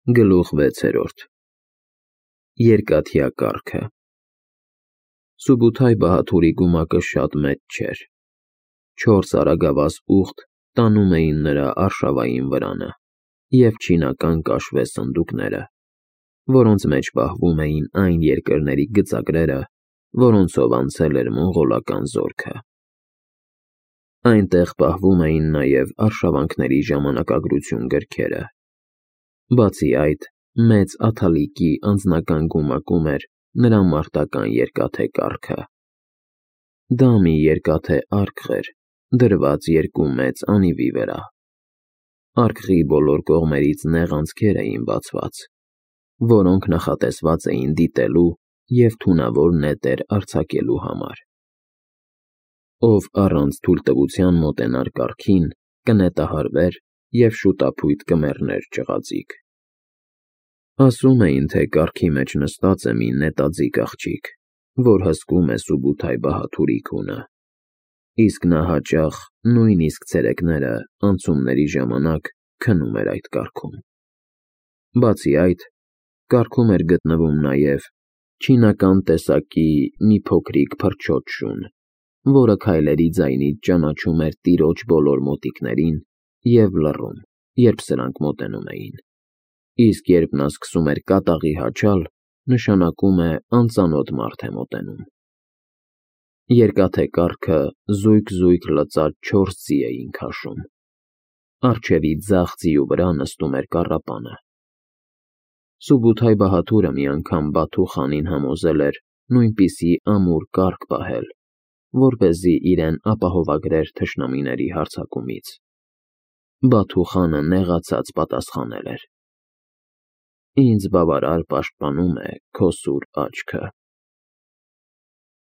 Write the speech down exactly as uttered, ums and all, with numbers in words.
Գլուխ վեցերորդ Երկաթյա կառքը Սուբութայ Բահաթուրի գումակը շատ մեծ չէր։ Չորս արագավազ ուղտ տանում էին նրա արշավային վրանը և չինական կաշվե սնդուկները, որոնց մեջ պահվում էին այն երկրների գծագրերը, որոնցով անցել էր մոնղոլական զորքը։ Այնտեղ պահվում էին նաև արշավանքների ժամանակագրություն գրքերը։ Բացի այդ, մեծ աթալիկի անձնական գումակում էր նրա մարտական երկաթե կառքը։ Դա մի երկաթե արկղ էր, դրված երկու մեծ անիվի վրա։ Արկղի բոլոր կողմերից նեղ անցքեր էին բացված, որոնք նախատեսված էին դիտելու և թունավոր նետեր արձակելու համար։ Ով առանց թույլտվության մոտենար կառքին, կնետահարվեր և շուտափույթ կմեռներ ճղածիկ։ Ասում էին, թե կառքի մեջ նստած է մի նետաձիգ աղջիկ, որ հսկում է Սուբութայ Բահաթուրի քունը, իսկ նա հաճախ, նույնիսկ ցերեկները, անցումների ժամանակ քնում էր այդ կառքում։ Բացի այդ, կառքում էր գտնվում նաև չինական տեսակի մի փոքրիկ փրչոտ շուն, որը քայլերի ձայնից ճանաչում էր տիրոջ բոլոր մոտիկներին և լռում, երբ սրանք մոտենում էին, իսկ երբ նա սկսում էր կատաղի հաչալ, նշանակում է անծանոթ մարդ է մոտենում։ Երկաթե կառքը զույգ-զույգ լծած չորս ձի էին քաշում։ Առջևի ձախ ձիու վրա նստում էր կառապանը։ Սուբութայ Բահաթուրը մի անգամ Բաթու խանին համոզել էր նույնպիսի ամուր կառք պահել, որպեսզի իրեն ապահովագրեր թշնամիների հարձակումից։ Բաթու խանը նեղացած պատասխանել էր. «Ինձ բավարար պաշտպանում է քո սուր աչքը»։